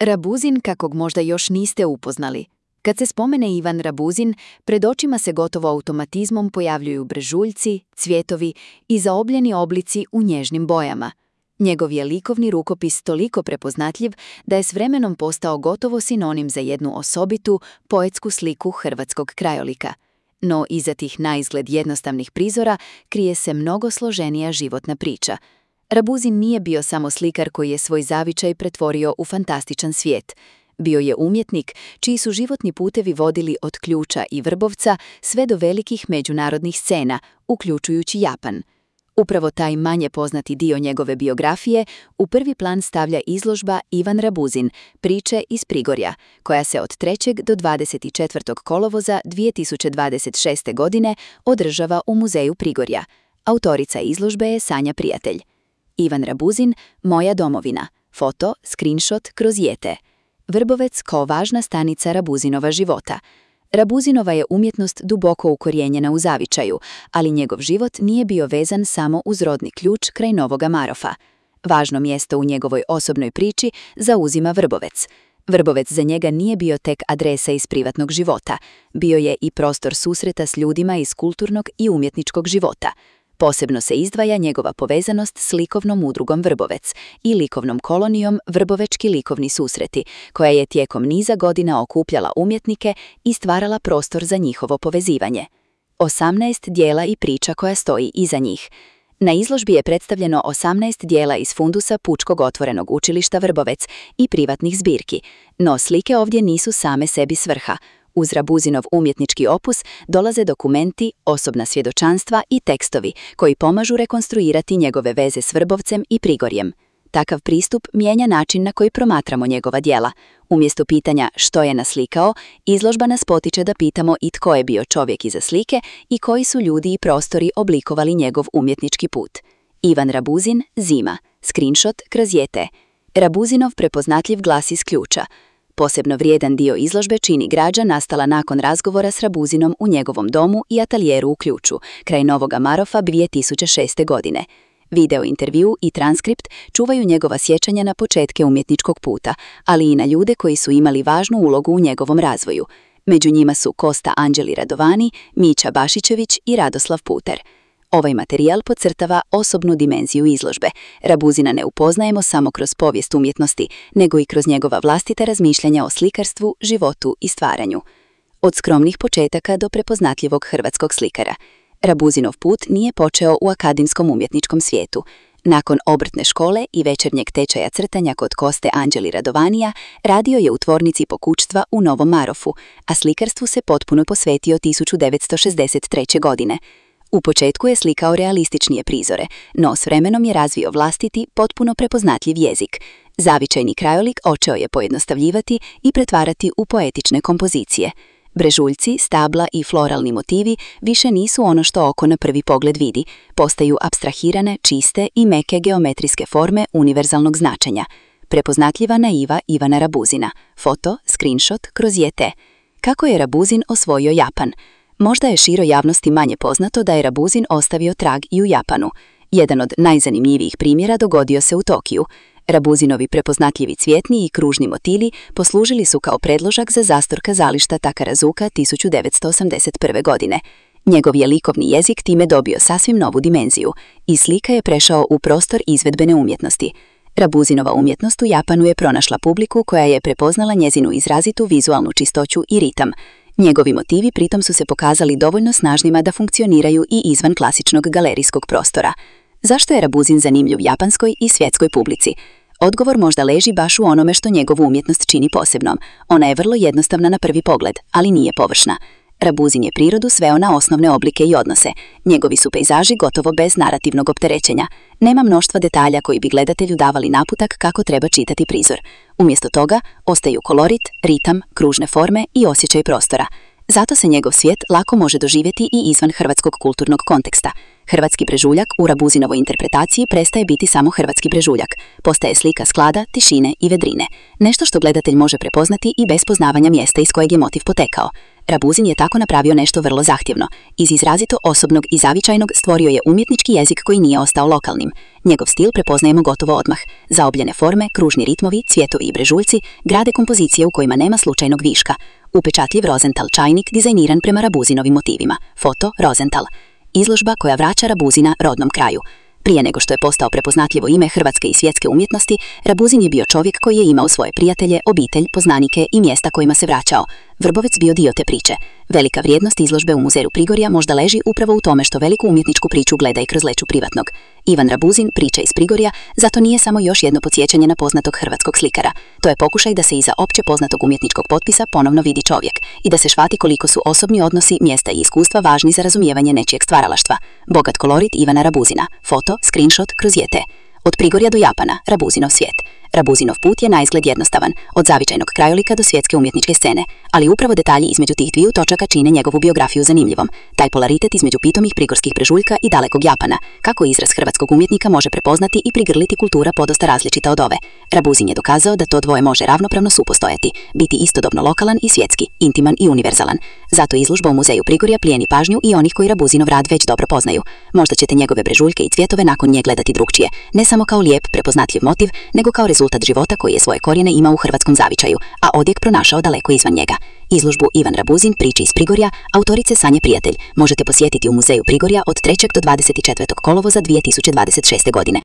Rabuzin kakvog možda još niste upoznali. Kad se spomene Ivan Rabuzin, pred očima se gotovo automatizmom pojavljuju brežuljci, cvjetovi i zaobljeni oblici u nježnim bojama. Njegov je likovni rukopis toliko prepoznatljiv da je s vremenom postao gotovo sinonim za jednu osobitu, poetsku sliku hrvatskog krajolika. No iza tih naizgled jednostavnih prizora krije se mnogo složenija životna priča. Rabuzin nije bio samo slikar koji je svoj zavičaj pretvorio u fantastičan svijet. Bio je umjetnik čiji su životni putevi vodili od Ključa i Vrbovca sve do velikih međunarodnih scena, uključujući Japan. Upravo taj manje poznati dio njegove biografije u prvi plan stavlja izložba Ivan Rabuzin, priče iz Prigorja, koja se od 3. do 24. kolovoza 2026. godine održava u Muzeju Prigorja. Autorica izložbe je Sanja Prijatelj. Ivan Rabuzin, Moja domovina. Foto, screenshot kroz Jete. Vrbovec kao važna stanica Rabuzinova života. Rabuzinova je umjetnost duboko ukorijenjena u zavičaju, ali njegov život nije bio vezan samo uz rodni ključ kraj Novoga Marofa. Važno mjesto u njegovoj osobnoj priči zauzima Vrbovec. Vrbovec za njega nije bio tek adresa iz privatnog života, bio je i prostor susreta s ljudima iz kulturnog i umjetničkog života. Posebno se izdvaja njegova povezanost s likovnom udrugom Vrbovec i likovnom kolonijom Vrbovečki likovni susreti, koja je tijekom niza godina okupljala umjetnike i stvarala prostor za njihovo povezivanje. 18 dijela i priča koja stoji iza njih. Na izložbi je predstavljeno 18 dijela iz fundusa Pučkog otvorenog učilišta Vrbovec i privatnih zbirki, no slike ovdje nisu same sebi svrha. Uz Rabuzinov umjetnički opus dolaze dokumenti, osobna svjedočanstva i tekstovi koji pomažu rekonstruirati njegove veze s Vrbovcem i Prigorjem. Takav pristup mijenja način na koji promatramo njegova djela. Umjesto pitanja što je naslikao, izložba nas potiče da pitamo i tko je bio čovjek iza slike i koji su ljudi i prostori oblikovali njegov umjetnički put. Ivan Rabuzin, Zima. Screenshot kroz Jete. Rabuzinov prepoznatljiv glas iz Ključa. Posebno vrijedan dio izložbe čini građa nastala nakon razgovora s Rabuzinom u njegovom domu i atelijeru u Ključu, kraj Novoga Marofa 2006. godine. Video intervju i transkript čuvaju njegova sjećanja na početke umjetničkog puta, ali i na ljude koji su imali važnu ulogu u njegovom razvoju. Među njima su Kosta Anđeli Radovani, Mića Bašićević i Radoslav Puter. Ovaj materijal podcrtava osobnu dimenziju izložbe. Rabuzina ne upoznajemo samo kroz povijest umjetnosti, nego i kroz njegova vlastita razmišljanja o slikarstvu, životu i stvaranju. Od skromnih početaka do prepoznatljivog hrvatskog slikara. Rabuzinov put nije počeo u akademskom umjetničkom svijetu. Nakon obrtne škole i večernjeg tečaja crtanja kod Koste Anđeli Radovanija, radio je u tvornici pokućstva u Novom Marofu, a slikarstvu se potpuno posvetio 1963. godine. U početku je slikao realističnije prizore, no s vremenom je razvio vlastiti, potpuno prepoznatljiv jezik. Zavičajni krajolik počeo je pojednostavljivati i pretvarati u poetične kompozicije. Brežuljci, stabla i floralni motivi više nisu ono što oko na prvi pogled vidi, postaju apstrahirane, čiste i meke geometrijske forme univerzalnog značenja. Prepoznatljiva naiva Ivana Rabuzina. Foto, screenshot kroz Jete. Kako je Rabuzin osvojio Japan? Možda je široj javnosti manje poznato da je Rabuzin ostavio trag i u Japanu. Jedan od najzanimljivijih primjera dogodio se u Tokiju. Rabuzinovi prepoznatljivi cvjetni i kružni motivi poslužili su kao predložak za zastor kazališta Takarazuka 1981. godine. Njegov je likovni jezik time dobio sasvim novu dimenziju. Iz slika je prešao u prostor izvedbene umjetnosti. Rabuzinova umjetnost u Japanu je pronašla publiku koja je prepoznala njezinu izrazitu vizualnu čistoću i ritam. Njegovi motivi pritom su se pokazali dovoljno snažnima da funkcioniraju i izvan klasičnog galerijskog prostora. Zašto je Rabuzin zanimljiv japanskoj i svjetskoj publici? Odgovor možda leži baš u onome što njegovu umjetnost čini posebnom. Ona je vrlo jednostavna na prvi pogled, ali nije površna. Rabuzin je prirodu sveo na osnovne oblike i odnose. Njegovi su pejzaži gotovo bez narativnog opterećenja. Nema mnoštva detalja koji bi gledatelju davali naputak kako treba čitati prizor. Umjesto toga ostaju kolorit, ritam, kružne forme i osjećaj prostora. Zato se njegov svijet lako može doživjeti i izvan hrvatskog kulturnog konteksta. Hrvatski brežuljak u Rabuzinovoj interpretaciji prestaje biti samo hrvatski brežuljak. Postaje slika sklada, tišine i vedrine. Nešto što gledatelj može prepoznati i bez poznavanja mjesta iz kojeg je motiv potekao. Rabuzin je tako napravio nešto vrlo zahtjevno. Iz izrazito osobnog i zavičajnog stvorio je umjetnički jezik koji nije ostao lokalnim. Njegov stil prepoznajemo gotovo odmah. Zaobljene forme, kružni ritmovi, cvjetovi i brežuljci grade kompozicije u kojima nema slučajnog viška. Upečatljiv Rosenthal čajnik dizajniran prema Rabuzinovim motivima. Foto Rosenthal. Izložba koja vraća Rabuzina rodnom kraju. Prije nego što je postao prepoznatljivo ime hrvatske i svjetske umjetnosti, Rabuzin je bio čovjek koji je imao svoje prijatelje, obitelj, poznanike i mjesta kojima se vraćao. Vrbovec bio dio te priče. Velika vrijednost izložbe u Muzeju Prigorja možda leži upravo u tome što veliku umjetničku priču gleda i kroz leću privatnog. Ivan Rabuzin, priča iz Prigorja, zato nije samo još jedno podsjećanje na poznatog hrvatskog slikara. To je pokušaj da se iza opće poznatog umjetničkog potpisa ponovno vidi čovjek i da se shvati koliko su osobni odnosi, mjesta i iskustva važni za razumijevanje nečijeg stvaralaštva. Bogat kolorit Ivana Rabuzina. Foto, screenshot kroz JT. Od Prigorja do Japana, Rabuzinov svijet. Rabuzinov put je naizgled jednostavan, od zavičajnog krajolika do svjetske umjetničke scene, ali upravo detalji između tih dviju točaka čine njegovu biografiju zanimljivom. Taj polaritet između pitomih prigorskih brežuljka i dalekog Japana, kako izraz hrvatskog umjetnika može prepoznati i prigrliti kultura podosta različita od ove. Rabuzin je dokazao da to dvoje može ravnopravno supostojati, biti istodobno lokalan i svjetski, intiman i univerzalan. Zato izložba u Muzeju Prigorja plijeni pažnju i onih koji Rabuzinov rad već dobro poznaju. Možda ćete njegove brežuljke i cvjetove nakon nje gledati drukčije, ne samo kao lijep, prepoznatljiv motiv, nego kao rezultat života koji je svoje korijene imao u hrvatskom zavičaju, a odjek pronašao daleko izvan njega. Izložbu Ivan Rabuzin, priče iz Prigorja, autorice Sanje Prijatelj, možete posjetiti u Muzeju Prigorja od 3. do 24. kolovoza 2026. godine.